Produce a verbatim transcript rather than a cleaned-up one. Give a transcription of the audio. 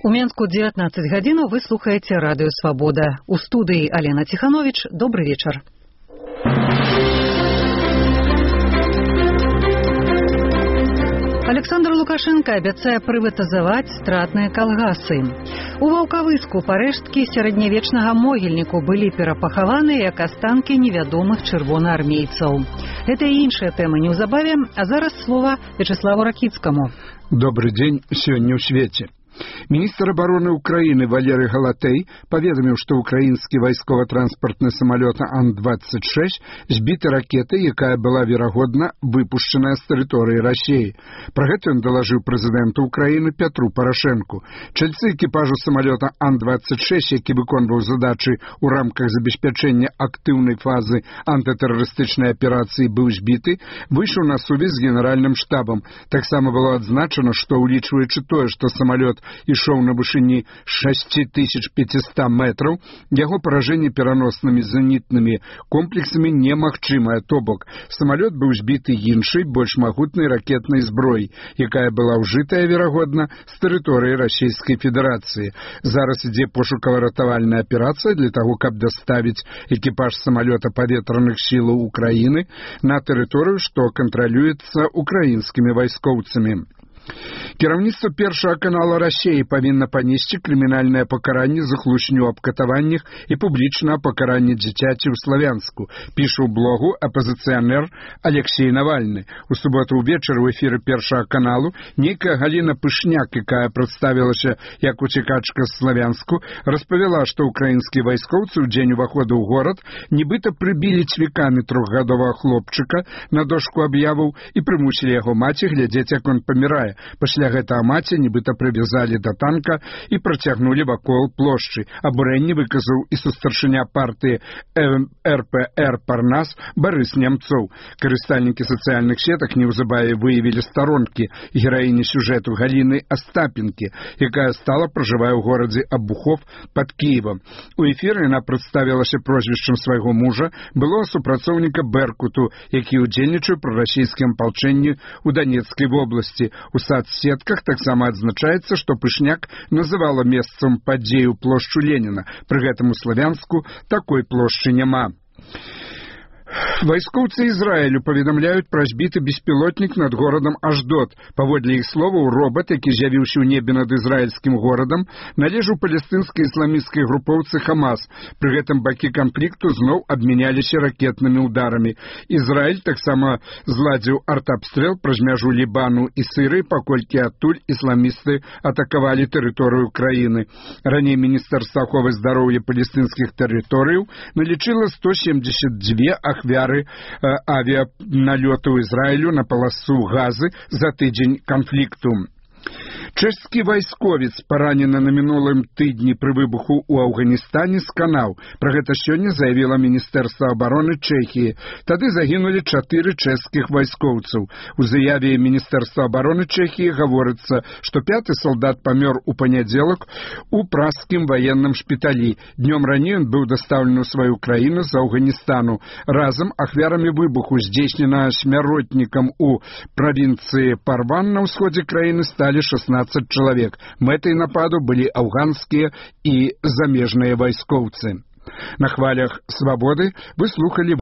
У Менску дзевятнаццаць гадзінаў вы слухаеце радыё «Свабода». У студыі Алена Ціханович. Добры вечар. Александр Лукашенко абяцае прыватызаваць стратныя калгасы. У Ваўкавыску парэшткі сярэднявечнага могільніку былі перапахаваны як астанкі невядомых чырвонаармейцаў. Гэта і іншыя тэмы неўзабаве, а зараз слова Вячеславу Ракіцкаму. Добрый день сегодня в свете. Министр обороны Украины Валерий Галатей поведомил, что украинский вайсково-транспортный самолет Ан двадцать шесть сбиты ракетой, якая была, верагодна, выпущенная с территории России. Про это он доложил президенту Украины Петру Порошенку. Чальцы экипажу самолета Ан двадцать шесть, які выконваў задачи у рамках забеспячэння активной фазы антитеррористичной операции, был сбиты, вышел на сувязь с генеральным штабом. Так само было отзначено, что, улічваючы тое, что самолет ішоў на вышыні шесть тысяч пятьсот метров, яго поражение пераносными зенітнымі комплексами немагчымае, то бок самолет быў збіты іншай, больш магутнай ракетнай зброей, якая была ўжытая, верагодна, з тэрыторыі Расійскай Федэрацыі. Зараз ідзе пошукава-ратавальная аперацыя для того, каб даставіць экіпаж самолета паветраных сілаў Украіны на тэрыторыю, што кантралюецца украінскімі вайскоўцамі. Кіраўніцтва першага канала России павінна панесці крымінальнае пакаранне за хлусню аб катаваннях і публічна пакаранне дзіцяці ў Славянску, піша ў блогу апозіцыянер Алексей Навальны. У суботу ўвечары ў эфіры першага каналу нейкая Галіна Пышняк, якая прадставілася як уцекачка з Славянску, распавяла, што украінскія вайскоўцы ў дзень уваходу ў горад нібыта прыбілі цвікамі трохгадовага хлопчыка на дошку аб'яваў і прымусілі яго маці глядзець, як он памірае. Пасля гэтага маці нібыта прывязалі да танка і працягнулі вакол плошчы. Абурэнне выказаў і сустаршыня партыі эр пэ эр Парнас Барыс Немцоў. Карыстальнікі сацыяльных сетак неўзабаве выявілі старонкі гераіні сюжэту Галіны Астапенкі, якая стала пражывае ў горадзе Абухов пад Кіевам. У эфіры яна прадставілася прозвішчам свайго мужа, былога супрацоўніка Беркуту, які ўдзельнічае пры расійскім апалчэнні ў Данецкай вобласці. У соцсетках таксама адзначаецца, што Пышняк называла месцам падзею плошчу Леніна. Пры гэтым у Славянску такой плошчы няма. Вайскоўцы Ізраілю паведамляюць пра збіты беспілотнік над горадам Аждот. Паводле іх словаў, робат, які з'явіўся ў небе над ізраільскім горадам, належаў палестынскай ісламісцкай групоўцы Хамас. Пры гэтым бакі канфлікту зноў абмяняліся ракетнымі ударамі. Ізраіль таксама зладзіў артабстрэл праз мяжу Лібану і Сырыі, паколькі адтуль ісламісты атакавалі тэрыторыю краіны. Раней Міністэрства аховы здароўя палестынскіх тэрыторыяў налічыла сто семьдесят две ахвяры э, авіаналёту Ізраілю на паласу Газы за тыдзень канфлікту. Чэшскі вайсковец паранены на мінулым тыдні пры выбуху ў Афганістане сканаў. Пра гэта сёння заявіла Міністэрства абароны Чэхіі. Тады загінулі чатыры чэшскіх вайскоўцаў. У заяве Міністэрства абароны Чэхіі гаворыцца, што пяты салдат памёр у панядзелак у праскім ваенным шпіталі. Днём раней ён быў дастаўлены ў сваю краіну з Афганістану. Разам ахвярамі выбуху, здзейснена смяротнікам у правінцыі Парван на ўсходзе краіны, сталі шестнадцать чалавек. Мэтай нападу былі афганскія і замежныя вайскоўцы. На хвалях «Свабоды» вы слухалі